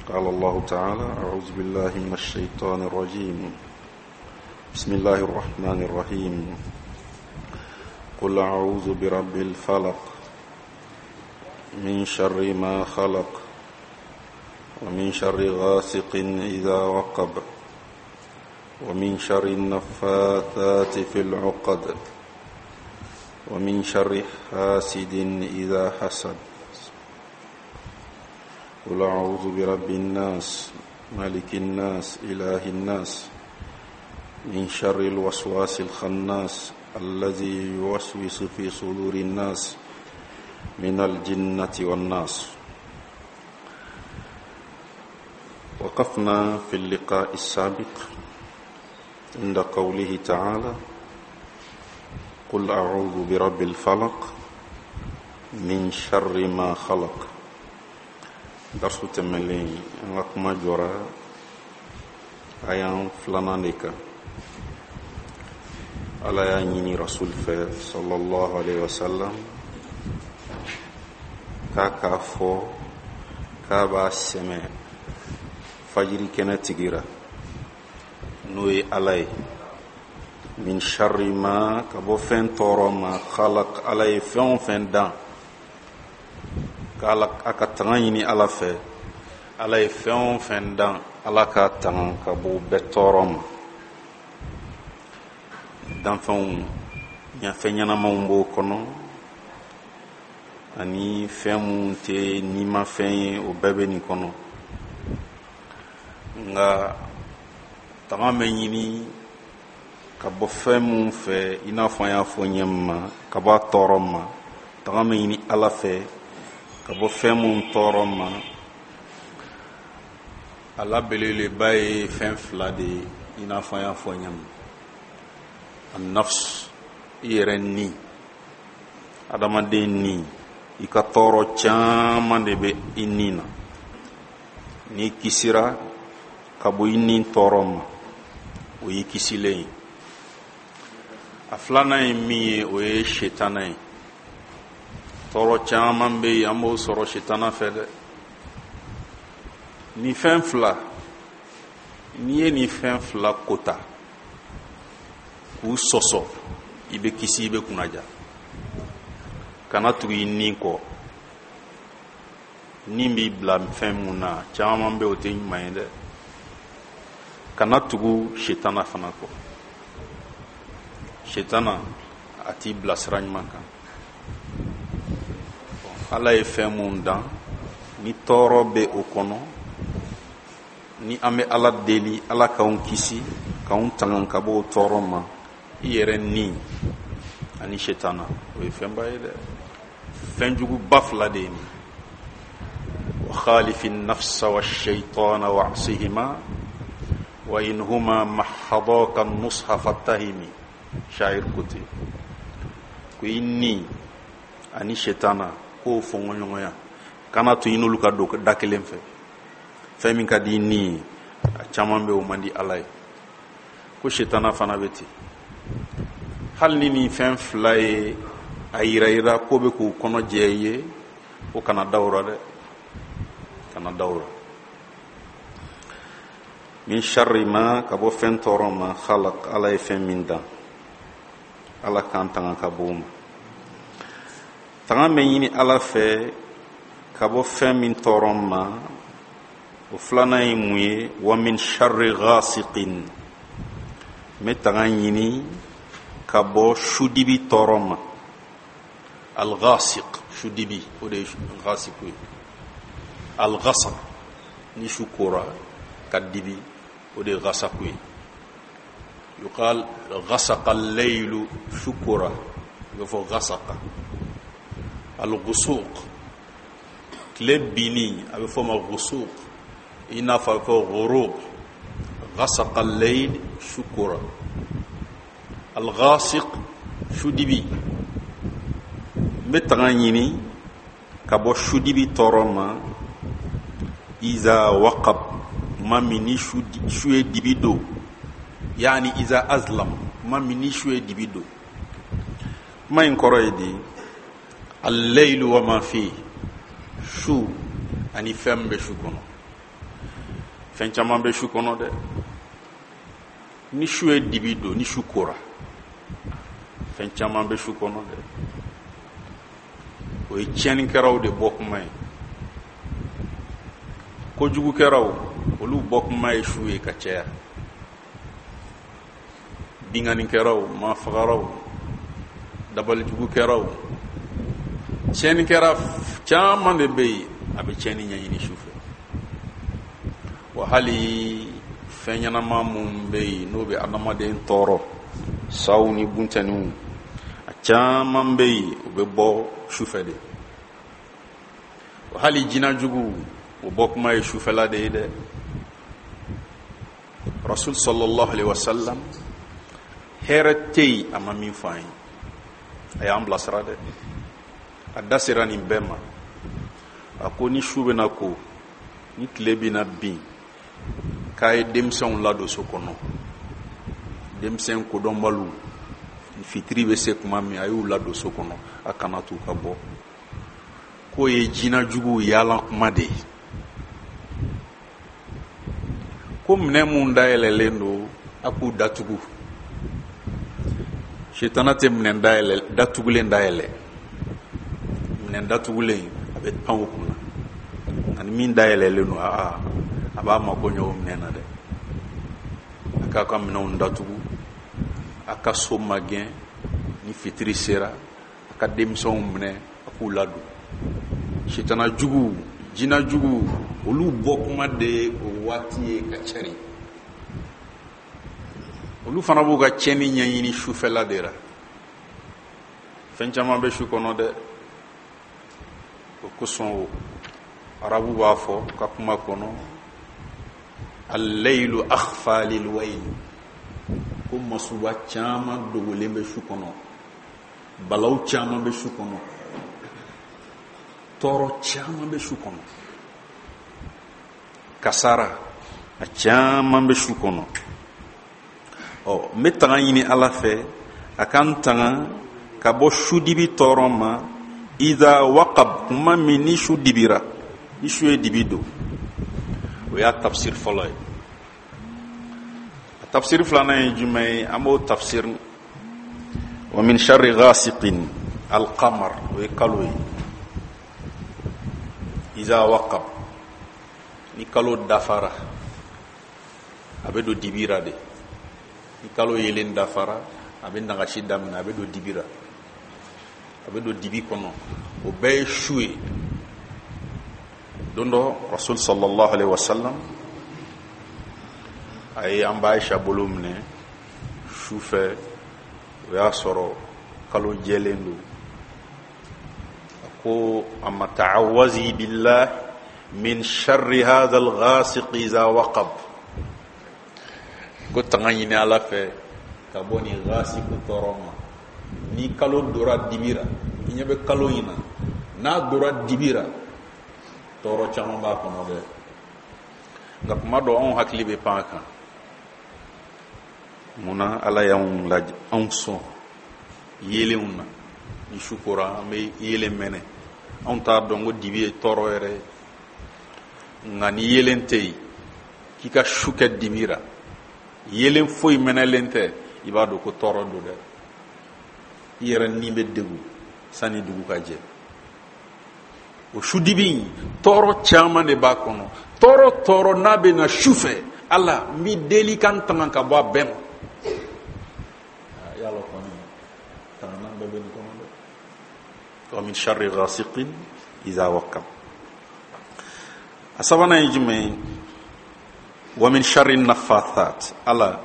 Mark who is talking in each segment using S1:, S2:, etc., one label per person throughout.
S1: قال الله تعالى أعوذ بالله من الشيطان الرجيم بسم الله الرحمن الرحيم قل أعوذ برب الفلق من شر ما خلق ومن شر غاسق إذا وقب ومن شر النفاثات في العقد ومن شر حاسد إذا حسد قل أعوذ برب الناس ملك الناس إله الناس من شر الوسواس الخناس الذي يوسوس في صدور الناس من الجنة والناس وقفنا في اللقاء السابق عند قوله تعالى قل أعوذ برب الفلق من شر ما خلق درس تملين an kuma jɔra ayan filanan de kan ala y'a ɲini rasul fɛ sallallahu alaihi wasallam k'a k'a fɔ k'a b'a sɛmɛ fajiri kɛnɛ tigi ra n'o ye ala ye min sharri ma ka bɔ fɛn tɔɔrɔ ma khalaq ala ye fɛn o fɛn dan k'ala a ka tanga ɲini ala fɛ ala ye fɛn o fɛn dan ala k'a tanga ka bɔ bɛɛ tɔɔrɔ ma danfɛnw fɛn ɲɛnamaw b'o kɔnɔ ani fɛn minnu tɛ nimafɛn ye o bɛɛ bɛ nin kɔnɔ nka tanga bɛ ɲini ka bɔ fɛn minnu fɛ i n'a fɔ an y'a fɔ ɲɛ ma ka bɔ a tɔɔrɔ ma tanga bɛ ɲini ala fɛ ka bɔ fɛn minnu tɔɔrɔ ma a la belebeleba ye fɛn fila de ye i n'a fɔ an y'a fɔ ɲɛ ma anafs i yɛrɛ ni adamaden ni i ka tɔɔrɔ caman de bɛ i ni na n'i kisira ka bɔ i ni tɔɔrɔ ma o y'i kisilen ye a filanan ye min ye o ye setana ye tɔɔrɔ caman bɛ yen an b'o sɔrɔ setana fɛ dɛ nin fɛn fila n'i ye nin fɛn fila kota k'u sɔsɔ i bɛ kisi i bɛ kunnaja kana tugu i ni kɔ ni b'i bila fɛn mun na caman bɛ o tɛ ɲuman ye dɛ kana tugu setana fana kɔ setana a t'i bila sira ɲuman kan ala ye fɛn mun dan ni tɔɔrɔ bɛ o kɔnɔ ni an bɛ ala deli ala k'anw kisi k'anw tanga ka bɔ o tɔɔrɔ ma i yɛrɛ ni ani setana o ye fɛnba ye dɛ fɛnjuguba fila de ye nin wa khalifi nafsa wa shaitana wa asihima wa in huma mahadaka nusha fattahimi shair ko ten ko i ni ani setana k'o fɔnkɔɲɔgɔnya kana to i n'olu ka don da kelen fɛ fɛn min ka di i ni ye a caman bɛ o man di ala ye ko setana fana bɛ ten hali ni nin fɛn fila ye a yira i ra ko bɛ k'u kɔnɔ jɛ i ye ko kana da o ra dɛ kana da o ra min sharri ma ka bɔ fɛn tɔɔrɔ ma khalaq ala ye fɛn min dan ala k'an tanga ka bɔ o ma tanga bɛ ɲini ala fɛ ka bɔ fɛn min tɔɔrɔ ma o filanan ye mun ye wa min sharri ghasiqin n bɛ tanga ɲini ka bɔ sudibi tɔɔrɔ ma alghasiq sudibi o de ye ghasiqu ye alghasaq ni su kora ka dibi o de ye ghasaku ye yuqal ghasaqa al-laylu su kora i bɛ fɔ ghasaqa al-ghusuq tile binni a bɛ fɔ o ma ghusuq i n'a fɔ a bɛ fɔ ghurub ghasaqa al-layl su kora al-ghasiq sudibi n bɛ tanga ɲini ka bɔ sudibi tɔɔrɔ ma iza waqab tuma min ni su ye dibi don yaani iza azlam tuma min ni su ye dibi don kuma in kɔrɔ ye di al-laylu wa ma fi su ani fɛn min bɛ su kɔnɔ Fɛn caman bɛ su kɔnɔ dɛ. Ni su ye dibi don, ni su kora, fɛn caman bɛ su kɔnɔ dɛ. O ye tiɲɛnikɛlaw de bɔ kuma ye, kojugukɛlaw, olu bɔ kuma ye su ye ka caya. Binkannikɛlaw, maafagalaw, dabalijugukɛlaw, tiɲɛnikɛla caman de bɛ yen, a bɛ tiɲɛni ɲɛɲini su fɛ. Wa hali fɛn ɲɛnama minnu bɛ yen, n'o bɛ adamaden tɔɔrɔ, saw ni buntɛniw, a caman bɛ yen, u bɛ bɔ su fɛ de. Wa hali jinɛjuguw, o bɔ kuma ye sufɛla de ye dɛ. Rasul sallallahu alaihi wasallam, hɛrɛ tɛ yen a ma min fɔ an ye, a y'an bilasira dɛ. A da sera nin bɛɛ ma. A ko ni su bɛna ko, ni tile bɛna bin, k'a ye denmisɛnw ladon so kɔnɔ, denmisɛn kodɔnbaliw, fitiri bɛ se tuma min, a y'u ladon so kɔnɔ, a kana t'u ka bɔ. K'o ye jinɛjuguw yaala kuma de ye. Ko minɛn mun dayɛlɛlen don, a k'u datugu. Sitana tɛ minɛn dayɛlɛ datugulen dayɛlɛ. Minɛn datugulen, a bɛ pan o kunna. Nka ni min dayɛlɛlen don, aa, a b'a mako ɲɛ o minɛn na dɛ. A k'a ka minɛnw datugu, a ka so magɛn. Ni fitiri sera, a ka denmisɛnw minɛ, a k'u ladon. Sitana juguw, jinɛ juguw, olu bɔ kuma de ye o waati ye ka cari. Olu fana b'u ka tiɲɛni ɲɛɲini sufɛla de la. Fɛn caman bɛ su kɔnɔ dɛ. O kosɔn o arabu b'a fɔ ka kuma kɔnɔ, al-laylu akhfa lil-wayl, ko masuba caman dogolen bɛ su kɔnɔ, balaw caman bɛ su kɔnɔ, tɔɔrɔ caman bɛ su kɔnɔ, kasara a caman bɛ su kɔnɔ. Ɔ, n bɛ tanga ɲini Ala fɛ, a ka n tanga ka bɔ sudibi tɔɔrɔ ma. Iza waqab, kuma min ni su dibira, ni su ye dibi don. O y'a tafsir fɔlɔ ye. A tafsir filanan ye jumɛn ye? An b'o tafsir wa min sharri ghasiqin, alqamar, o ye kalo ye. Iza waqab, ni kalo dafara, a bɛ don dibira de. Ni kalo yelen dafara, a bɛ nagasi daminɛ, a bɛ don dibira, a bɛ don dibi kɔnɔ. O bɛɛ ye su ye. Don dɔ, Rasul sallallahu alaihi wasallam a ye an ba Aisha bolo minɛ su fɛ. O y'a sɔrɔ kalo jɛlen don. A ko a ma, ta'awazi billah min sharri hadha al-ghasiq iza waqab, ko tanga ɲini Ala fɛ ka bɔ nin ghasiku tɔɔrɔ ma. Ni kalo dora dibira, i ɲɛ bɛ kalo in na, n'a dora dibira, tɔɔrɔ caman b'a kɔnɔ dɛ. Nka kuma dɔ, anw hakili bɛ pan a kan. Munna Ala y'anw lajɛ, anw sɔn yeelenw na? Ni su kora, an bɛ yeelen mɛnɛ, anw t'a dɔn ko dibi ye tɔɔrɔ yɛrɛ ye. Nka ni yeelen tɛ yen, k'i ka su kɛ dibi ra, yeelen foyi mɛnɛlen tɛ, i b'a dɔn ko tɔɔrɔ don dɛ. I yɛrɛ ni bɛ degun sani dugu ka jɛ. O su dibi in, tɔɔrɔ caman de b'a kɔnɔ. Tɔɔrɔ tɔɔrɔ n'a bɛ na su fɛ, Ala, n b'i deli ka n tanga ka bɔ a bɛɛ ma. Yala kɔni tangana bɛɛ bɛ nin kɔnɔ dɛ. Wa min sharri ghasiqin iza waqab. A sabanan ye jumɛn ye? Wa min sharri nafathat. Ala,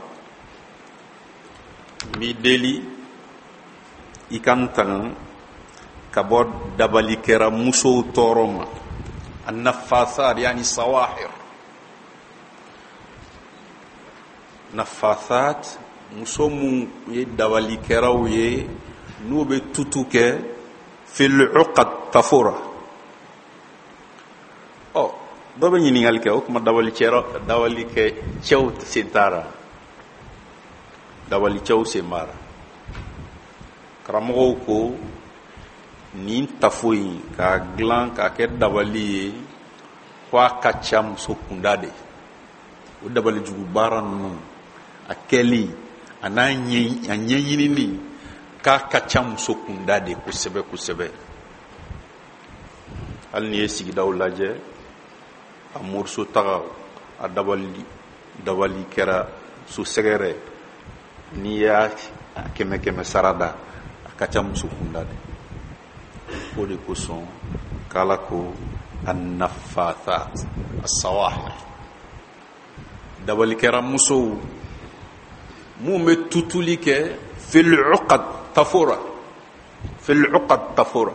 S1: n b'i deli i ka n tanga ka bɔ dabalikɛra musow tɔɔrɔ ma. Annafathat yani sawahir. Nafathat, muso mun ye dabalikɛraw ye, n'u bɛ tutu kɛ fil uqad, tafora. Ɔ, dɔ bɛ ɲininkali kɛ, o tuma dabalikɛ cɛw sen t'a la? Dabalicɛw sen b'a la. Karamɔgɔw ko nin tafo in k'a dilan k'a kɛ dabali ye, ko a ka ca muso kunda de. O dabalijugu baara ninnu a kɛli a n'a ɲɛɲinini k'a ka ca muso kunda de kosɛbɛ kosɛbɛ. Hali n'i ye sigidaw lajɛ, a moriso taga, a dabali kɛra so sɛgɛrɛ, n'i y'a kɛmɛ kɛmɛ sara da, a ka ca muso kunda de. O de kosɔn k'Ala ko annafathat asawahir, dabalikɛra musow mun bɛ tutuli kɛ fil uqad tafora, fil uqad tafora.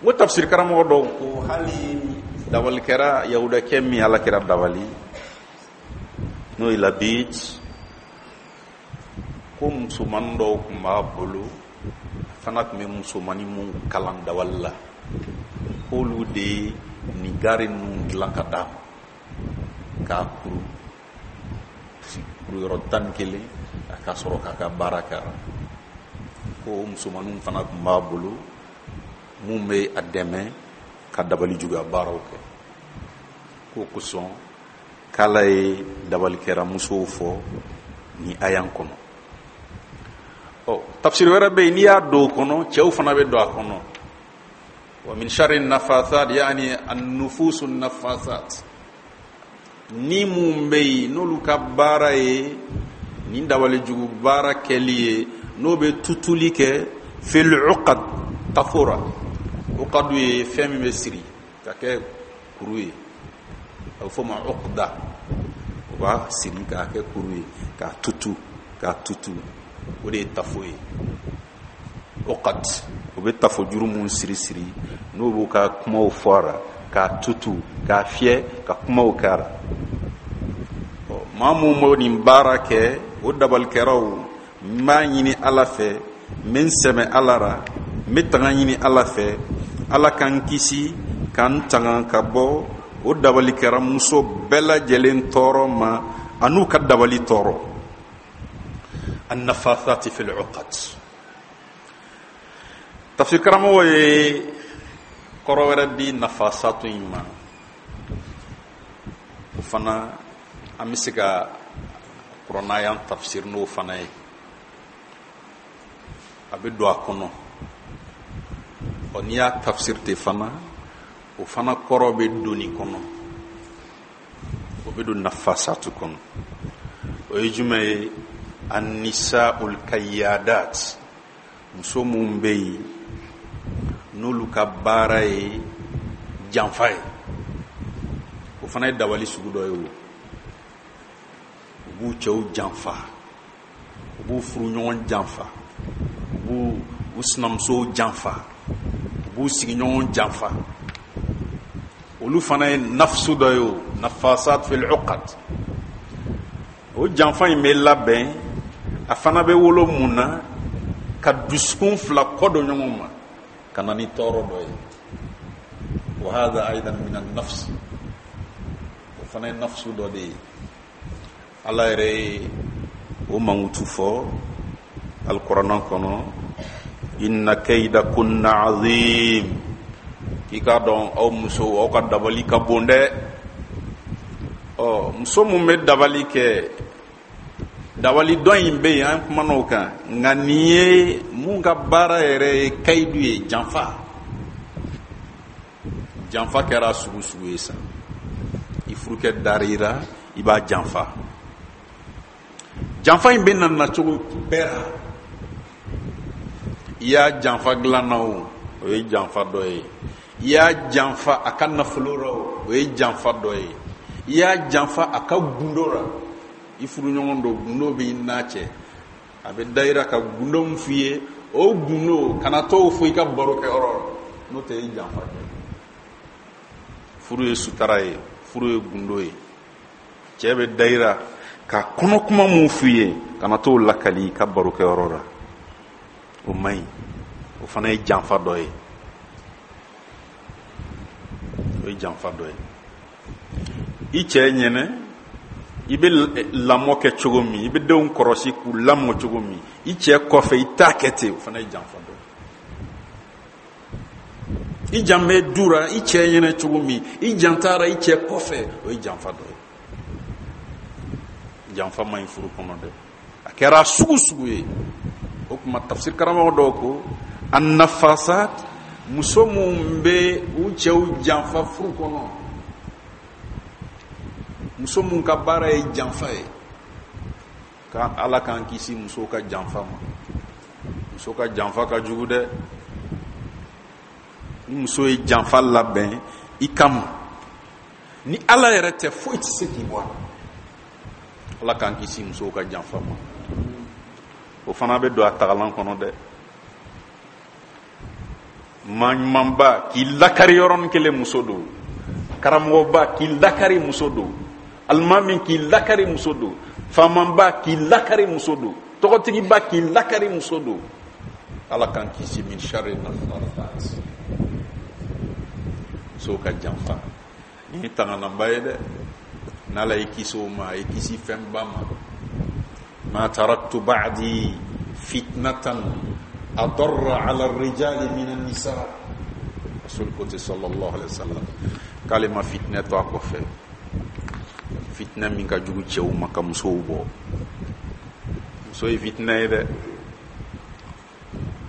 S1: N ko tafsir karamɔgɔ dɔw ko hali dabalikɛra yahudakɛ min Ala kira dabali, n'o ye Labid, ko musomanin dɔw tun b'a bolo, a fana tun bɛ musomanin mun kalan dabali la, k'olu de ye nin gaari ninnu dilan ka d'a ma k'a kuru kuruyɔrɔ 11, a ka sɔrɔ k'a ka baara kɛra. Ko musomaninw fana tun b'a bolo mun bɛ a dɛmɛ ka dabali juguya baaraw kɛ. K'o kosɔn k'Ala ye dabalikɛra musow fɔ ni ayan kɔnɔ. Ɔ, tafsiri wɛrɛ bɛ yen, n'i y'a don o kɔnɔ, cɛw fana bɛ don a kɔnɔ. Wa min sharri nafasat, yaani an-nufusu nafasat, ni mun bɛ yen n'olu ka baara ye nin dabali jugu baara kɛli ye, n'o bɛ tutuli kɛ fil uqad tafora. Uqadu ye fɛn min bɛ siri ka kɛ kuru ye, a bɛ fɔ o ma uqda. O b'a siri k'a kɛ kuru ye, k'a tutu, k'a tutu, o de ye tafo ye. Uqad, o bɛ tafo juru mun siri siri, n'o b'u ka kumaw fɔ a ra, k'a tutu, k'a fiyɛ, ka kumaw kɛ a ra. Maa mun b'o nin baara kɛ, o dabalikɛraw, n b'a ɲini Ala fɛ, n bɛ n sɛmɛ Ala ra, n bɛ tanga ɲini Ala fɛ, Ala ka n kisi ka n tanga ka bɔ o dabalikɛra muso bɛɛ lajɛlen tɔɔrɔ ma, an'u ka dabali tɔɔrɔ. Annafathati fil uqad. Tafsir karamɔgɔ ye kɔrɔ wɛrɛ di nafasatu in ma, o fana an bɛ se ka kuranɛ tafsir n'o fana ye, a bɛ don a kɔnɔ. Ɔ, n'i y'a tafsir ten fana, o fana kɔrɔ bɛ don nin kɔnɔ, o bɛ don nafasatu kɔnɔ. O ye jumɛn ye? Annisaul kayyadat, muso mun bɛ yen n'olu ka baara ye janfa ye, o fana ye dabali sugu dɔ ye. O u b'u cɛw janfa, u b'u furuɲɔgɔn janfa, u b'u u sinamusow janfa, u b'u sigiɲɔgɔn janfa. Olu fana ye nafsu dɔ ye, o nafasat fil uqad. O janfa in bɛ labɛn, a fana bɛ wolo mun na? Ka dusukun fila kɔ don ɲɔgɔn ma ka na ni tɔɔrɔ dɔ ye. Wa hadha aidan min an-nafs, o fana ye nafsu dɔ de ye. Ala yɛrɛ ye o mankutu fɔ alikuranɛ kɔnɔ, inna kayda kunna azim, k'i k'a dɔn aw musow, aw ka dabali ka bon dɛ. Ɔ, muso mun bɛ dabali kɛ, dabali dɔ in bɛ yen, an kumana o kan, nka nin ye mun ka baara yɛrɛ ye kayidu ye, janfa. Janfa kɛra sugu sugu ye sa, i furukɛ dar'i ra, i b'a janfa. Janfa in bɛ na nacogo bɛɛ ra. I y'a janfa dilan na o, o ye janfa dɔ ye. I y'a janfa a ka nafolo ra o, o ye janfa dɔ ye. I y'a janfa a ka gundo ra, i furuɲɔgɔn dɔ gundo b'i n'a cɛ, a bɛ da i ra ka gundo min f'i ye, o gundo kana t'o fɔ i ka barokɛyɔrɔ la, n'o tɛ i janfa kɛ. Furu ye sutara ye, furu ye gundo ye. Cɛ bɛ da i ra ka kɔnɔ kuma mun f'i ye, kana t'o lakali i ka barokɛyɔrɔ la, o man ɲi. O fana ye janfa dɔ ye, o ye janfa dɔ ye. I cɛ ɲɛnɛ, i bɛ lamɔ kɛ cogo min, i bɛ denw kɔrɔsi k'u lamɔ cogo min, i cɛ kɔfɛ i t'a kɛ ten, o fana ye janfa dɔ ye. I jan bɛ du ra i cɛ ɲɛnɛ cogo min, i jan taara i cɛ kɔfɛ, o ye janfa dɔ ye. Janfa man ɲi furu kɔnɔ dɛ, a kɛra sugu sugu ye. O tuma tafsir karamɔgɔ dɔw ko annafasat, muso minnu bɛ u cɛw janfa furu kɔnɔ, muso minnu ka baara ye janfa ye, ka Ala k'an kisi musow ka janfa ma. Muso ka janfa ka jugu dɛ. Ni muso ye janfa labɛn i kama, ni Ala yɛrɛ tɛ, foyi tɛ se k'i bɔ a la. Ala k'an kisi musow ka janfa ma. O fana bɛ don a tagalan kɔnɔ dɛ. Maa ɲumanba k'i lakari yɔrɔnin kelen, muso don. Karamɔgɔba k'i lakari, muso don. Alimami k'i lakari, muso don. Faamaba k'i lakari, muso don. Tɔgɔtigiba k'i lakari, muso don. Ala k'an kisi min sharri nafasat, musow ka janfa. Nin ye tangananba ye dɛ. N'Ala y'i kisi o ma, a y'i kisi fɛnba ma. Ma taraktu ba'di fitnatan adarra ala rijali min an-nisa. Rasul ko ten sallallahu alaihi wasallam k'ale ma fitinɛ to a kɔfɛ, fitinɛ min ka jugu cɛw ma ka musow bɔ. Muso ye fitinɛ ye dɛ.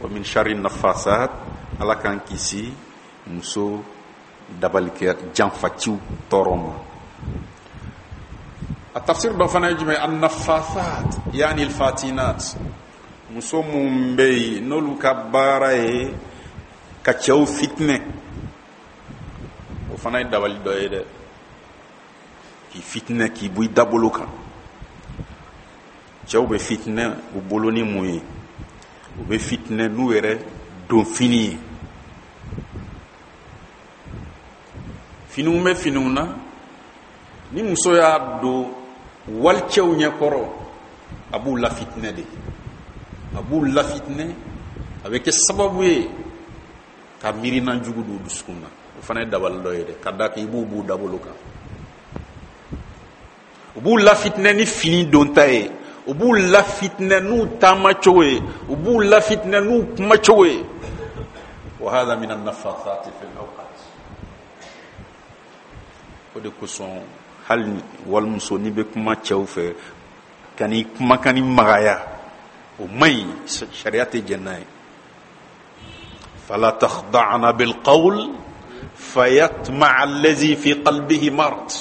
S1: Wa min sharri nafasat, Ala k'an kisi muso dabalikɛ janfaciw tɔɔrɔ ma. A tafsir dɔ fana ye jumɛn? Annafasat yani alfatinat, muso minnu bɛ yen n'olu ka baara ye ka cɛw fitinɛ, o fana ye dabali dɔ ye dɛ, k'i fitinɛ k'i bɔ i dabolo kan. Cɛw bɛ fitinɛ u bolo ni mun ye? U bɛ fitinɛ n'u yɛrɛ donfini ye. Finiw bɛ finiw na, ni muso y'a don walicɛw ɲɛkɔrɔ, a b'u lafitinɛ de, a b'u lafitinɛ, a bɛ kɛ sababu ye ka miirina jugu don u dusukun na. O fana ye dabali dɔ ye dɛ, ka d'a kan i b'u b'u dabolo kan. U b'u lafitinɛ ni fini donta ye, u b'u lafitinɛ n'u taamacogo ye, u b'u lafitinɛ n'u kumacogo ye. Wa hadha min an-nafathati fil awqat. O de kosɔn hali walimuso, n'i bɛ kuma cɛw fɛ, ka n'i kumakan ni magaya, o man ɲi, sariya tɛ jɛn n'a ye. Fala takhda'na bil qawl fayatma'a allazi fi qalbihi marad.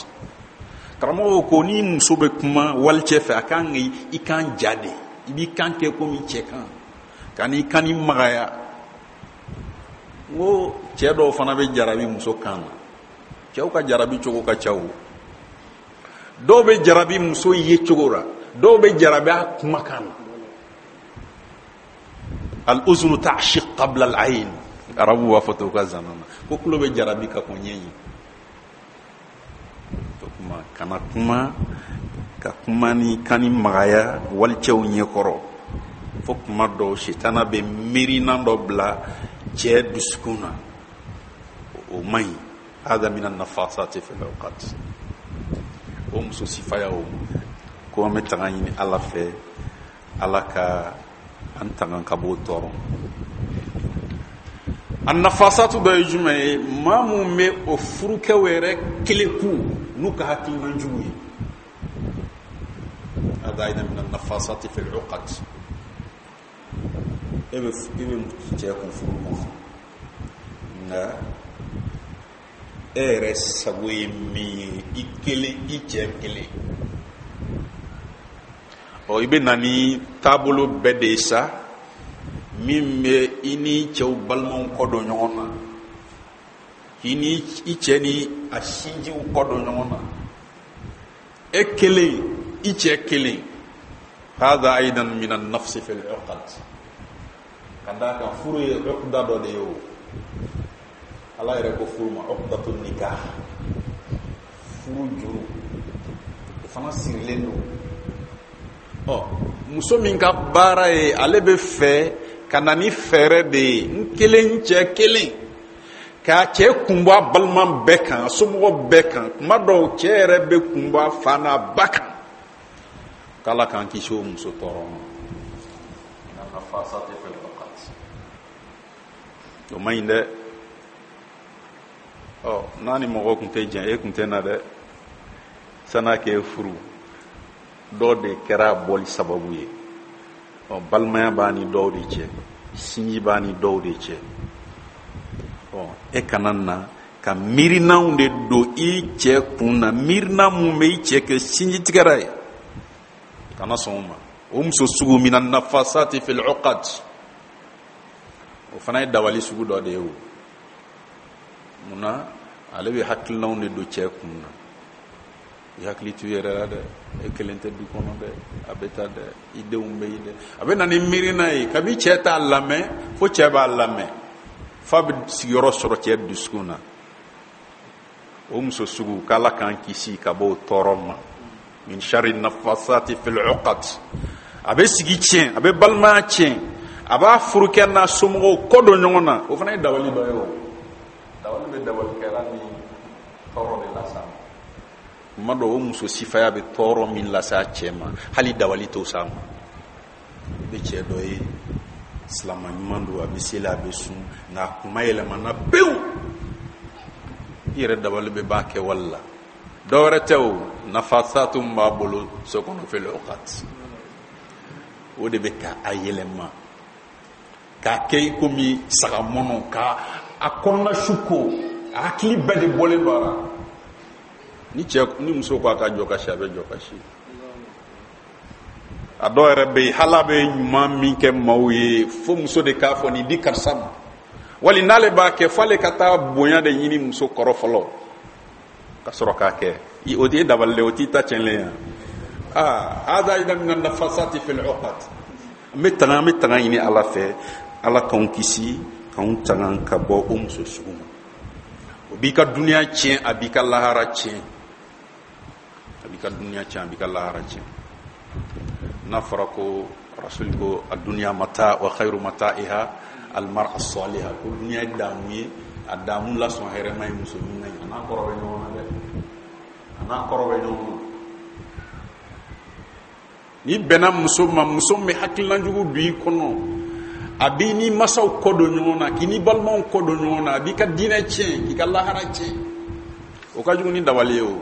S1: Karamɔgɔw ko ni muso bɛ kuma walicɛ fɛ, a kan i kan ja de, i b'i kan kɛ komi cɛ kan, ka n'i kan ni magaya. N ko cɛ dɔw fana bɛ jarabi muso kan na. Cɛw ka jarabi cogo ka ca o. Dɔw bɛ jarabi muso ye cogo la, dɔw bɛ jarabi a kumakan na. Al-uzunu ta'shiq qabla al-ayn, arabu b'a fɔ ten u ka zana na, ko tulo bɛ jarabi ka kɔn ɲɛ ɲɛ. O tuma kana kuma ka kuma ni kan ni magaya walicɛw ɲɛkɔrɔ, fo kuma dɔw sitana bɛ miirinan dɔ bila cɛ dusukun na, o man ɲi. Hada min an-nafasati fil awqat. O muso sifaya o ko an bɛ tanga ɲini Ala fɛ, Ala ka an tanga ka b'o tɔɔrɔ. A nafasatu dɔ ye jumɛn ye? Maa mun bɛ o furukɛw yɛrɛ keleku n'u ka hakilina jugu ye. Hada aydan min an-nafasati fil uqad. E bɛ cɛ kun furu kɔnɔ, nka e yɛrɛ sago ye min ye, i kelen, i cɛ kelen. Ɔ, i bɛ na ni taabolo bɛɛ de ye sa, min bɛ i ni cɛw balimaw kɔ don ɲɔgɔn na, k'i ni i cɛ ni a sinjiw kɔ don ɲɔgɔn na, e kelen, i cɛ kelen. Hada aidan min an-nafsi fil uqad. Ka d'a kan furu ye uqda dɔ de ye. O Ala yɛrɛ ko furu ma uqdatu nikah, furu juru, o fana sirilen don. Ɔ, muso min ka baara ye, ale bɛ fɛ ka na ni fɛɛrɛ de ye, n kelen, n cɛ kelen, k'a cɛ kun bɔ a balima bɛɛ kan, a somɔgɔ bɛɛ kan. Kuma dɔw cɛ yɛrɛ bɛ kun bɔ a fa n'a ba kan. K'Ala k'an kisi o muso tɔɔrɔ ma. O man ɲi dɛ. Ɔ, n'a ni mɔgɔ tun tɛ jɛn, e tun tɛ na dɛ, san'a k'e furu. Dɔ de kɛra a bɔli sababu ye. Ɔ, balimaya b'a ni dɔw de cɛ, sinji b'a ni dɔw de cɛ. Ɔ, e kana na ka miirinaw de don i cɛ kun na, miirina mun bɛ i cɛ kɛ sinjitigɛra ye, kana sɔn o ma. O muso sugu mina nafasati fil uqad, o fana ye dabali sugu dɔ de ye. O munna ale bɛ hakilinaw de don cɛ kun na? I hakili t'u yɛrɛ la dɛ, e kelen tɛ du kɔnɔ dɛ, a bɛ taa dɛ, i denw bɛ yen dɛ. A bɛ na ni miirina ye, kabi cɛ t'a lamɛn fo cɛ b'a lamɛn, f'a bɛ sigiyɔrɔ sɔrɔ cɛ dusukun na. O muso sugu, k'Ala k'an kisi ka bɔ o tɔɔrɔ ma. Min sharri nafasati fil uqad. A bɛ sigi tiɲɛ, a bɛ balimaya tiɲɛ, a b'a furukɛ n'a somɔgɔw kɔ don ɲɔgɔn na. O fana ye dabali dɔ ye. O dabali bɛ dabalikɛla ni tɔɔrɔ de las'a ma. Kuma dɔ, o muso sifaya bɛ tɔɔrɔ min lase a cɛ ma, hali dabali t'o s'a ma. I bɛ cɛ dɔ ye, silama ɲuman don, a bɛ seli, a bɛ sun, nka a kuma yɛlɛmana pewu. I yɛrɛ dabali bɛ ban kɛwale la. Dɔ wɛrɛ tɛ, o nafasatu min b'a bolo so kɔnɔ, fil uqad, o de bɛ ka a yɛlɛma k'a kɛ i komi saga mɔnɔ, ka a kɔnɔna su ko, a hakili bɛɛ de bɔlen don a la. Ni cɛ ni muso ko a ka jɔ ka si, a bɛ jɔ ka si. A dɔw yɛrɛ bɛ yen, hali a bɛ ɲuman min kɛ maaw ye, fo muso de k'a fɔ nin di karisa ma, wali n'ale b'a kɛ, f'ale ka taa bonya de ɲini muso kɔrɔ fɔlɔ ka sɔrɔ k'a kɛ. O t'i dabali dɛ, o t'i ta tiɲɛlen ye. Aa, hada ida min nafasati fil uqad. An bɛ tanga ɲini Ala fɛ, Ala k'anw kisi, k'anw tanga ka bɔ o muso sugu ma. O b'i ka duniya tiɲɛ, a b'i ka lahara tiɲɛ. A b'i ka duniya tiɲɛ, a b'i ka lahara tiɲɛ. N'a fɔra ko Rasuli ko a duniya mata wa khayru mata'iha almar'a as-salihah, ko duniya ye damu ye, a damu lasɔn hɛrɛma ye muso ɲuman ye. A n'a kɔrɔ bɛ ɲɔgɔn na dɛ, a n'a kɔrɔ bɛ ɲɔgɔn na. N'i bɛnna muso ma, muso min bɛ hakilina jugu don i kɔnɔ, a b'i ni masaw kɔ don ɲɔgɔn na, k'i ni balimaw kɔ don ɲɔgɔn na, a b'i ka diinɛ tiɲɛ, k'i ka lahara tiɲɛ, o ka jugu ni dabali ye. O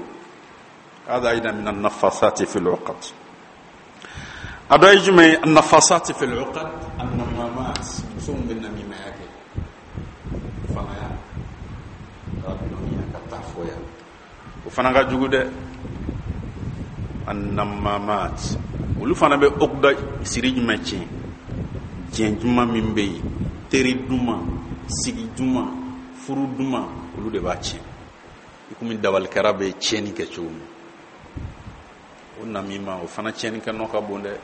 S1: hada aida min an-nafasati fil uqad. A dɔ ye jumɛn ye? An-nafasati fil uqad an-namamat, muso min bɛ namimaya kɛ, fanaya ka dɔnniya ka taa fɔ yan, o fana ka jugu dɛ. An-namamat, olu fana bɛ uqda siri jumɛn tiɲɛ? Diɲɛ duman min bɛ yen, teri duman, sigi duman, furu duman, olu de b'a tiɲɛ, i komi dabalikɛra bɛ tiɲɛni kɛ cogo min. O namima, o fana tiɲɛnikɛ nɔ ka bon dɛ.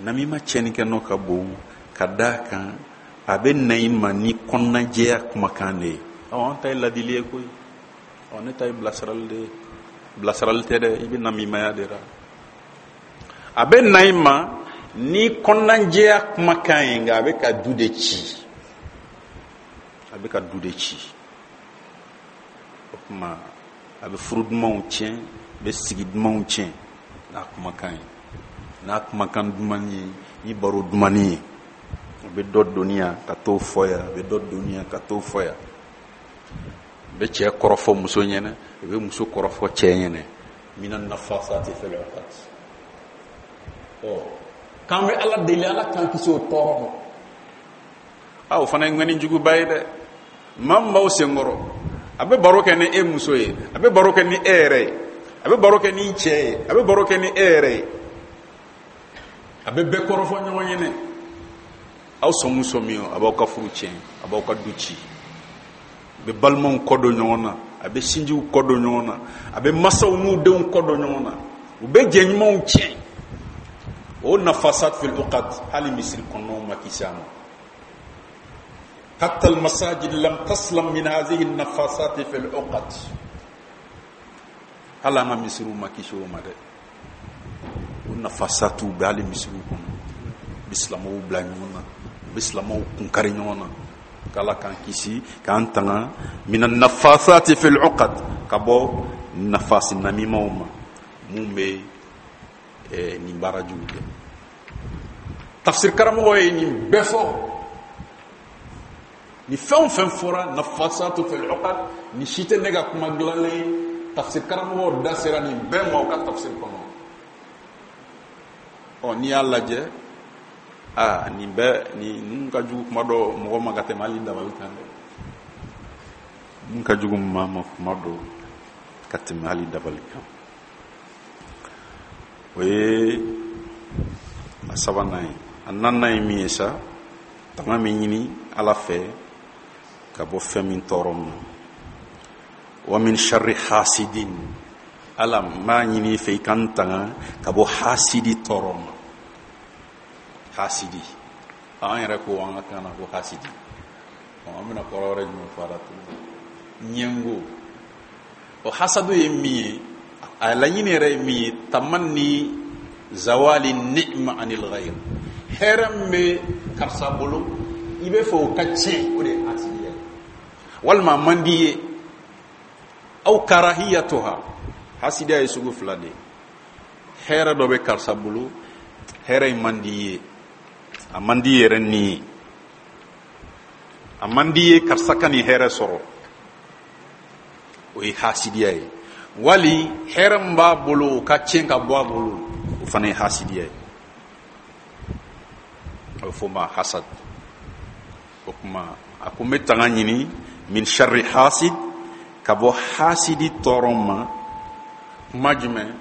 S1: Namima tiɲɛnikɛ nɔ ka bon ka d'a kan, a bɛ na i ma ni kɔnɔnajɛya kumakan de ye. Ɔ, an ta ye ladili ye koyi, ɔ, ne ta ye bilasirali de ye. Bilasirali tɛ dɛ, i bɛ namimaya de la. A bɛ na i ma ni kɔnɔnajɛya kumakan ye, nka a bɛ ka du de ci, a bɛ ka du de ci. O tuma, a bɛ furu dumanw tiɲɛ, a bɛ sigi dumanw tiɲɛ n'a kumakan ye, n'a kumakan duman ye, ni baro dumani ye. A bɛ dɔ doni yan ka t'o fɔ yan, a bɛ dɔ doni yan ka t'o fɔ yan, a bɛ cɛ kɔrɔfɔ muso ɲɛna, a bɛ muso kɔrɔfɔ cɛ ɲɛna. Mina nafasati fil uqad. Ɔ, k'an bɛ Ala deli, Ala k'an kisi o tɔɔrɔ ma. A, o fana ye ŋɔni juguba ye dɛ. Maa min b'aw senkɔrɔ, a bɛ baro kɛ ni e muso ye, a bɛ baro kɛ ni e yɛrɛ ye, a bɛ baro kɛ ni cɛ ye, a bɛ baro kɛ ni e yɛrɛ ye, a bɛ bɛɛ kɔrɔfɔ ɲɔgɔn ɲɛnɛ. Aw sɔn sɔmi, a b'aw ka furu tiɲɛ, a b'aw ka du ci, a bɛ balimaw kɔ don ɲɔgɔn na, a bɛ sinjiw kɔ don ɲɔgɔn na, a bɛ masaw n'u denw kɔ don ɲɔgɔn na, u bɛ jɛ ɲumanw tiɲɛ. O nafasat fil uqad, hali misiri kɔnɔnaw ma kisi a ma. Hatta al masajid lam taslam min hadhihi an-nafasat fil uqad. Hali an ka misiriw ma kisi o ma dɛ. O nafasatuw bɛ hali misiriw kɔnɔ, u bɛ silamɛw bila ɲɔgɔn na, u bɛ silamɛw kunkari ɲɔgɔn na. K'Ala k'an kisi, k'an tanga min nafasati fil uqad, ka bɔ nafasi namimaw ma mun bɛ nin baara jugu kɛ. Tafsir karamɔgɔ ye nin bɛɛ fɔ. Ni fɛn o fɛn fɔra nafasatu fil uqad, ni si tɛ ne ka kuma dilanlen ye. Tafsir karamɔgɔw da sera nin bɛɛ ma u ka tafsir kɔnɔ. Ɔ, n'i y'a lajɛ, aa, nin bɛɛ, nin ninnu ka jugu kuma dɔ mɔgɔ ma ka tɛmɛ hali dabali kan dɛ. Ninnu ka jugu maa ma kuma dɔ ka tɛmɛ hali dabali kan. O ye a sabanan ye. A naaninan ye min ye sa, tanga min ɲini Ala fɛ ka bɔ fɛn min tɔɔrɔ ma, wa min sharri hasidin. Ala, n b'a ɲini i fɛ i ka n tanga ka bɔ hasidi tɔɔrɔ ma. Hasidi, an yɛrɛ ko an ka kan na ko hasidi. An bɛna kɔrɔ wɛrɛ jumɛn fɔ a la tuguni? Ɲɛngo. O hasadu ye min ye, a laɲini yɛrɛ ye min ye, tamanni zawali ni'ma anil ghayr. Hɛrɛ min bɛ karisa bolo, i bɛ fɛ o ka tiɲɛ, o de ye hasidiya ye. Walima a man di i ye, aw karahiyatuha. Hasidiya ye sugu fila de ye. Hɛrɛ dɔ bɛ karisa bolo, hɛrɛ in man di i ye, a man di i yɛrɛ ni ye, a man di i ye karisa ka nin hɛrɛ sɔrɔ, o ye hasidiya ye. Wali hɛrɛ min b'a bolo, o ka tiɲɛ ka bɔ a bolo, o fana ye hasidiya ye. A bɛ fɔ o ma hasad. O tuma a ko n bɛ tanga ɲini min sharri hasid, ka bɔ hasidi tɔɔrɔ ma. Kuma jumɛn?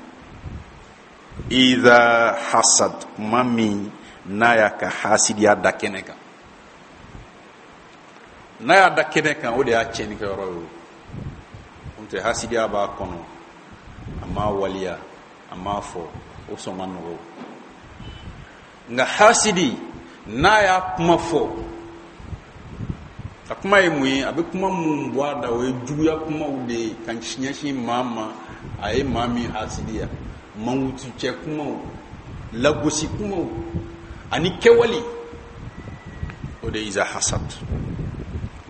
S1: Iza hasad, kuma min n'a y'a ka hasidiya da kɛnɛ kan. N'a y'a da kɛnɛ kan, o de y'a tiɲɛnikɛyɔrɔ ye. O n'o tɛ, hasidiya b'a kɔnɔ, a m'a waliya, a m'a fɔ, o sɔn man nɔgɔ. Nka hasidi n'a y'a kuma fɔ, a kuma ye mun ye? A bɛ kuma mun bɔ a da, o ye juguya kumaw de ye ka ɲɛsin maa ma a ye maa min hasidiya. Mankutucɛ kumaw, lagosi kumaw ani kɛwale, o de ye iza hasad.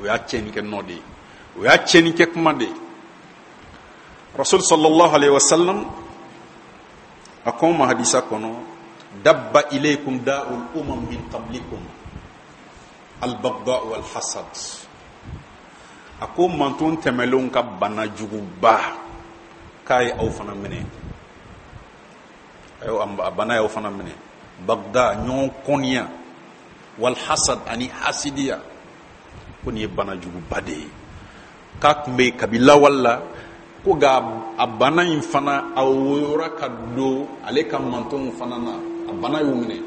S1: O y'a tiɲɛnikɛ nɔ de ye, o y'a tiɲɛnikɛ kuma de ye. Rasul sallallahu alaihi wasallam a ko ma hadisa kɔnɔ: dabba ilaykum da'ul umam min qablikum albagda wal hasad. A ko manton tɛmɛlenw ka bana juguba k'a ye aw fana minɛ, a bana y'aw fana minɛ. Bagda, ɲɔgɔn kɔniya, wal hasad, ani hasidiya, ko nin ye bana juguba de ye k'a tun bɛ yen kabi lawale la, ko nka a bana in fana a woyora ka don ale ka mantonw fana na, a bana y'u minɛ.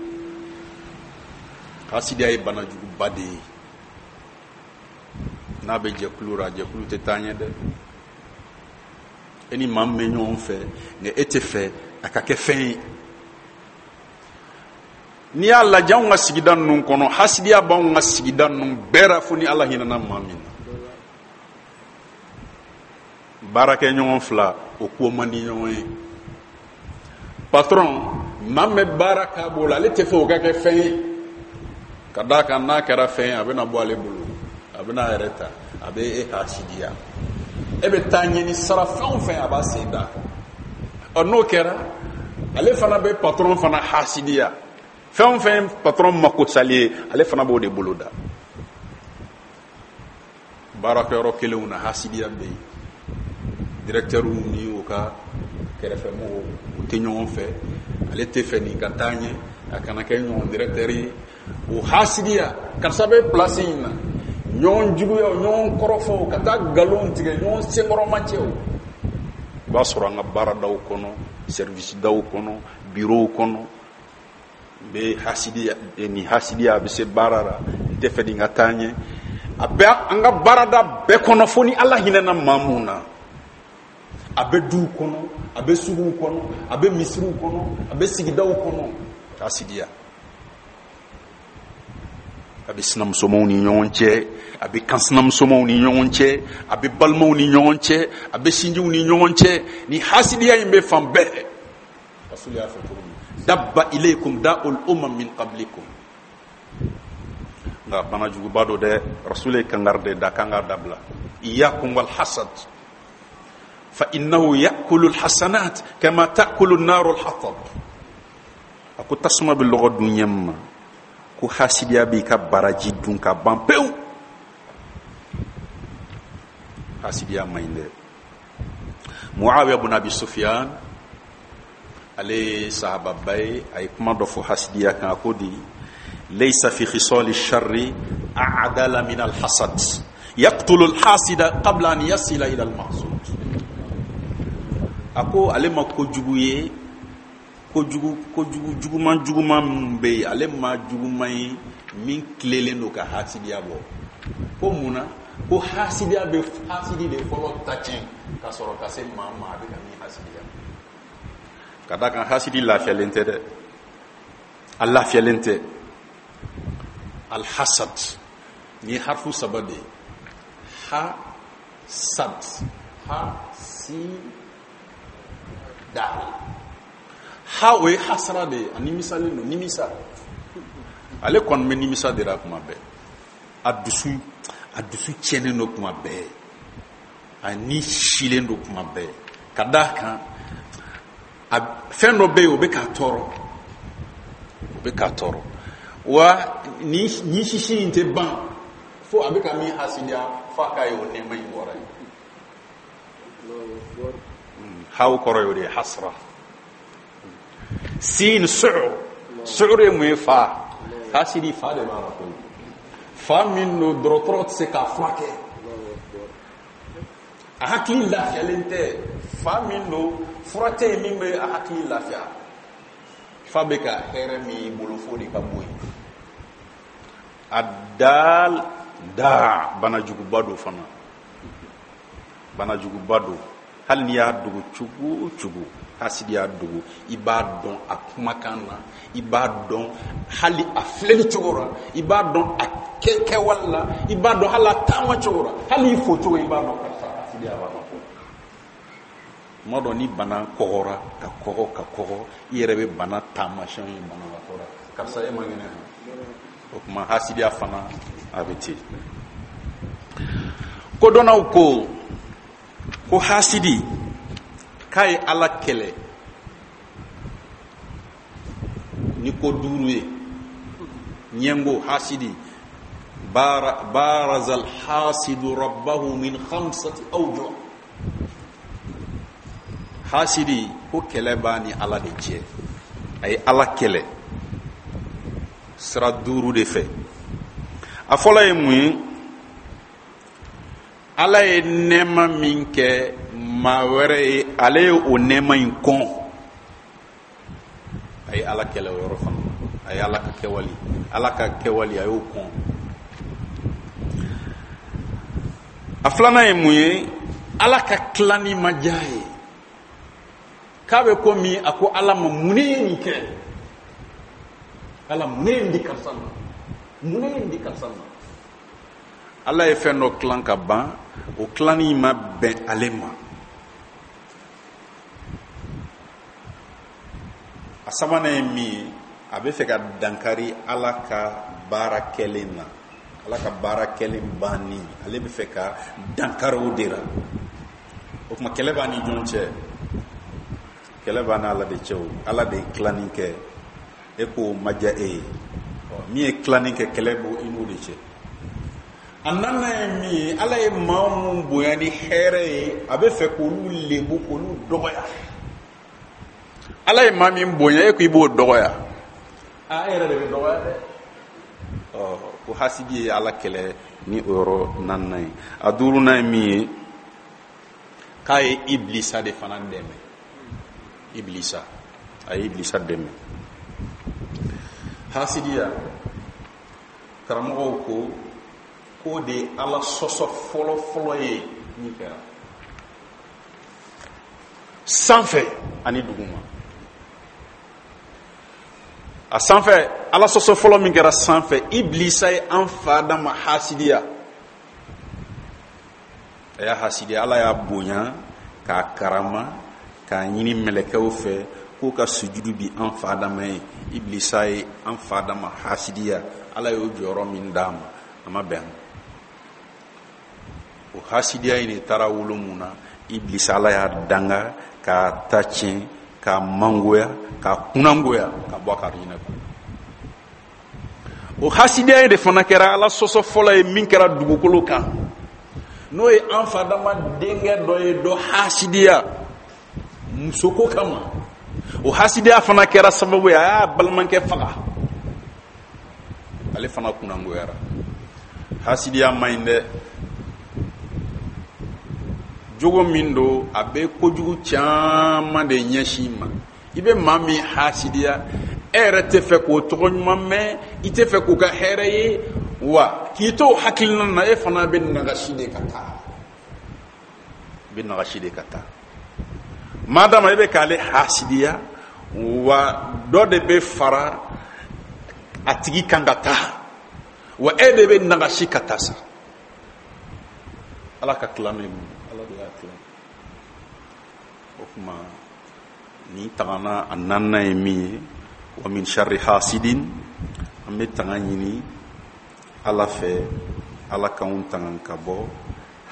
S1: Hasidiya ye bana juguba de ye. N'a bɛ jɛkulu ra, jɛkulu tɛ taa ɲɛ dɛ. E ni maa min bɛ ɲɔgɔn fɛ, nka e tɛ fɛ a ka kɛ fɛn ye. N'i y'a lajɛ anw ka sigida ninnu kɔnɔ, hasidiya b'anw ka sigida ninnu bɛɛ ra, fo ni Ala hinɛna maa min na. Baarakɛ ɲɔgɔn fila, o ko man di ɲɔgɔn ye. Patron, maa min bɛ baara k'a bolo, ale tɛ fɛ o ka kɛ fɛn ye, ka d'a kan n'a kɛra fɛn ye, a bɛna bɔ ale bolo, a bɛna a yɛrɛ ta, a bɛ e hasidiya. E bɛ taa ɲɛ ni sara fɛn o fɛn, a b'a sen d'a kan. Ɔ, n'o kɛra, ale fana bɛ patron fana hasidiya. Fɛn o fɛn patron mako sali ye, ale fana b'o de bolo da. Baarakɛyɔrɔ kelenw na, hasidiya bɛ yen. Directeurw ni o ka kɛrɛfɛmɔgɔw, u tɛ ɲɔgɔn fɛ. Ale tɛ fɛ nin ka taa ɲɛ, a kana kɛ ɲɔgɔn directeur ye. O hasidiya, karisa bɛ place in na, ɲɔgɔn juguya, ɲɔgɔn kɔrɔfɔw, ka taa nkalon tigɛ, ɲɔgɔn senkɔrɔmacɛw. I b'a sɔrɔ an ka baaradaw kɔnɔ, service daw kɔnɔ, bureau kɔnɔ, n bɛ hasidiya, nin hasidiya a bɛ se baara la, n tɛ fɛ nin ka taa ɲɛ. A bɛ an ka baarada bɛɛ kɔnɔ, fo ni Ala hinɛna maa mun na. A bɛ duw kɔnɔ, a bɛ suguw kɔnɔ, a bɛ misiriw kɔnɔ, a bɛ sigidaw kɔnɔ. Hasidiya a bɛ sinamusomaw ni ɲɔgɔn cɛ, a bɛ kansinamusomaw ni ɲɔgɔn cɛ, a bɛ balimaw ni ɲɔgɔn cɛ, a bɛ sinjiw ni ɲɔgɔn cɛ. Ni hasidiya in bɛ fan bɛɛ. Rasul y'a fɔ cogo min: dabba ilaykum da'ul umam min qablikum. Nka bana juguba don dɛ. Rasul ye kangari de da k'an k'a dabila: iyyakum wal hasad fa innahu ya'kulu al hasanat kama ta'kulu an-naru al hatab. A ko tasuma bɛ lɔgɔ dun ɲɛ min ma, ko hasidiya b'i ka baraji dun ka ban pewu. Hasidiya man ɲi dɛ. Muawiya bun Abi Sufyan, ale ye sahababa ye, a ye kuma dɔ fɔ hasidiya kan. A ko di: laysa fi khisali sharri a'dala min alhasad, yaqtulu alhasida qabla an yasila ila almahsud. A ko ale ma kojugu ye, kojugu kojugu juguman juguman min bɛ yen, ale ma juguman ye min tilelen don ka hasidiya bɔ. Ko mun na? Ko hasidiya bɛ hasidi de fɔlɔ ta tiɲɛ ka sɔrɔ ka se maa ma a bɛ ka min hasidiya. Ka d'a kan hasidi lafiyalen tɛ dɛ, a lafiyalen tɛ. Alhasad, nin ye harifu saba de ye: ha, sad, ha, si, dal. Ha, o ye hasara de ye, a nimisalen don, nimisa. Ale kɔni bɛ nimisa de la kuma bɛɛ, a dusu tiɲɛnen don kuma bɛɛ, a ni silen don kuma bɛɛ. Ka d'a kan a fɛn dɔ bɛ yen, o bɛ k'a tɔɔrɔ, o bɛ k'a tɔɔrɔ. Wa ni ni sisi in tɛ ban fo a bɛ ka min hasidiya, f'a k'a ye o nɛɛma in bɔra yen. Haw kɔrɔ y'o de ye, hasra. Sin, suur. Suur ye mun ye? Fa. Hasidi fa de b'a la koyi, fa min don, dɔgɔtɔrɔ tɛ se k'a furakɛ, a hakili lafiyalen tɛ. Fa min don, fura tɛ yen min bɛ a hakili lafiya. Fa bɛ ka hɛrɛ min y'i bolo, fo de ka bɔ yen. A dal da, banajuguba don fana, banajuguba don. Hali n'i y'a dogo cogo o cogo, hasidi y'a dogo, i b'a dɔn a kumakan na, i b'a dɔn hali a filɛli cogo la, i b'a dɔn a kɛwale la, i b'a dɔn hali a taama cogo la, hali i fo cogo, i b'a dɔn karisa hasidiya b'a la. Tuma dɔ ni bana kɔgɔra ka kɔgɔ ka kɔgɔ, i yɛrɛ bɛ bana taamasiyɛnw ye banabaatɔ la: karisa, e man kɛnɛ. O tuma hasidiya fana a bɛ ten. Kodɔnnaw ko ko hasidi k'a ye Ala kɛlɛ ni ko duuru ye. Ɲɛngo hasidi: baraza alhasidu rabbahu min khamsati awjuh. Hasidi ko kɛlɛ b'a ni Ala de cɛ, a ye Ala kɛlɛ sira duuru de fɛ. A fɔlɔ ye mun ye? Ala ye nɛɛma min kɛ maa wɛrɛ ye, ale ye o nɛɛma in kɔn, a ye Ala kɛlɛ o yɔrɔ fana. A ye Ala ka kɛwali, Ala ka kɛwali, a y'o kɔn. A filanan ye mun ye? Ala ka tilani ma diya ye, k'a bɛ komi a ko Ala ma: mun ne ye nin kɛ? Ala, mun ne ye nin di karisa ma? Mun ne ye nin di karisa ma? Ala ye fɛn dɔ tilan ka ban, o tilanni ma bɛn ale ma. A sabanan ye min ye? A bɛ fɛ ka dankari Ala ka baara kɛlen na, Ala ka baara kɛlen banni, ale bɛ fɛ ka dankari o de la. O tuma kɛlɛ b'a ni jɔn cɛ? Kɛlɛ b'a ni Ala de cɛ. O Ala de ye tilanni kɛ, e k'o ma diya e ye. Min ye tilanni kɛ, kɛlɛ b'o i n'o de cɛ. A naaninan ye min ye? Ala ye maa mun bonya ni hɛrɛ ye, a bɛ fɛ k'olu lebu, k'olu dɔgɔya. Ala ye maa min bonya, e ko i b'o dɔgɔya, a e yɛrɛ de bɛ dɔgɔya dɛ. Ɔ ko hasidi ye Ala kɛlɛ ni o yɔrɔ naaninan ye. A duurunan ye min ye? K'a ye Ibilisa de fana dɛmɛ. Ibilisa, a ye Ibilisa dɛmɛ. Hasidiya, karamɔgɔw ko k'o de ye Ala sɔsɔ fɔlɔ fɔlɔ ye min kɛra sanfɛ ani duguma. A sanfɛ, Ala sɔsɔ fɔlɔ min kɛra sanfɛ, Ibilisa ye an fa Adama hasidiya. A y'a hasidiya. Ala y'a bonya k'a karama, k'a ɲini mɛlɛkɛw fɛ k'u ka sujudu bi an fa Adama ye. Ibilisa ye an fa Adama hasidiya. Ala y'o jɔyɔrɔ min d'a ma, a ma bɛn. O hasidiya in de taara wolo mun na? Ibilisa, Ala y'a danga k'a ta tiɲɛ, k'a mangoya, k'a kunnangoya ka bɔ a ka arijinɛ kɔnɔ. O hasidiya in de fana kɛra Ala sɔsɔ fɔlɔ ye min kɛra dugukolo kan, n'o ye an fa Adama denkɛ dɔ ye dɔ hasidiya. Musoko kama, o hasidiya fana kɛra sababu ye a y'a balimakɛ faga, ale fana kunnangoyara. Hasidiya man ɲi dɛ. Jogo min don, a bɛ kojugu caman de ɲɛsin i ma. I bɛ maa min hasidiya, e yɛrɛ tɛ fɛ k'o tɔgɔ ɲuman mɛn, i tɛ fɛ k'o ka hɛrɛ ye. Wa k'i to o hakilina na, e fana bɛ nagasi de ka taa, i bɛ nagasi de ka taa. Madama i bɛ k'ale hasidiya, wa dɔ de bɛ fara a tigi kan ka taa, wa e de bɛ nagasi ka taa sa. Ala ka tila ne mun, Ala de y'a tila. O tuma nin tagana a naaninan ye min ye, wa min sharri hasidin, an bɛ tanga ɲini Ala fɛ, Ala k'anw tanga ka bɔ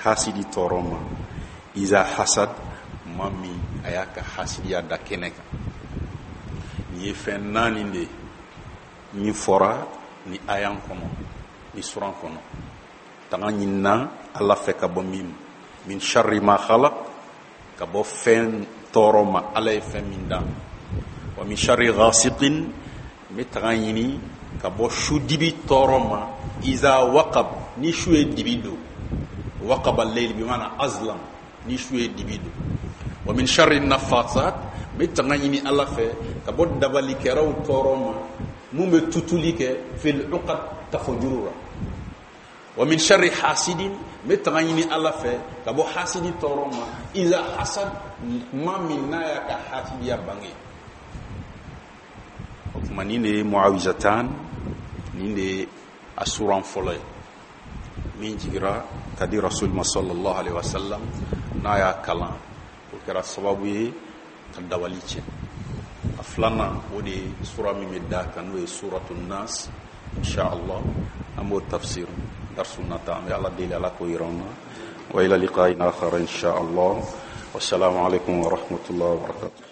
S1: hasidi tɔɔrɔ ma. Iza hasad, maa min a y'a ka hasidiya da kɛnɛ kan. Nin ye fɛn naani de ye min fɔra ni ayan kɔnɔ, ni suran kɔnɔ. Tanga ɲinina Ala fɛ ka bɔ min ma, min sharri ma khalaq, ka bɔ fɛn tɔɔrɔ ma Ala ye fɛn min dan. Wa min sharri ghasiqin, n bɛ tanga ɲini ka bɔ su dibi tɔɔrɔ ma. Iza waqab, ni su ye dibi don, waqaba al-layl bi maana azlam, ni su ye dibi don. Wa min sharri nafasat, n bɛ tanga ɲini Ala fɛ ka bɔ dabalikɛlaw tɔɔrɔ ma, mun bɛ tutuli kɛ, fil uqad, tafojuru la. Wa min sharri hasidin, n bɛ tanga ɲini Ala fɛ ka bɔ hasidi tɔɔrɔ ma. Iza hasad, maa min n'a y'a ka hasidiya bange. O tuma nin de ye muawizatan, nin de ye a suran fɔlɔ ye min jigira ka di rasul ma sallallahu alaihi wasallam. N'a y'a kalan, o kɛra sababu ye ka dabali tiɲɛ. A filanan, o de ye sura min bɛ da kan, n'o ye suratu nas. Inshallah an b'o tafsir darsu nata. An bɛ Ala deli, Ala k'o yira an na. Wa ila liqa'in akhar inshallah. Wassalamu alaikum wa rahmatullahi wa barakatuh.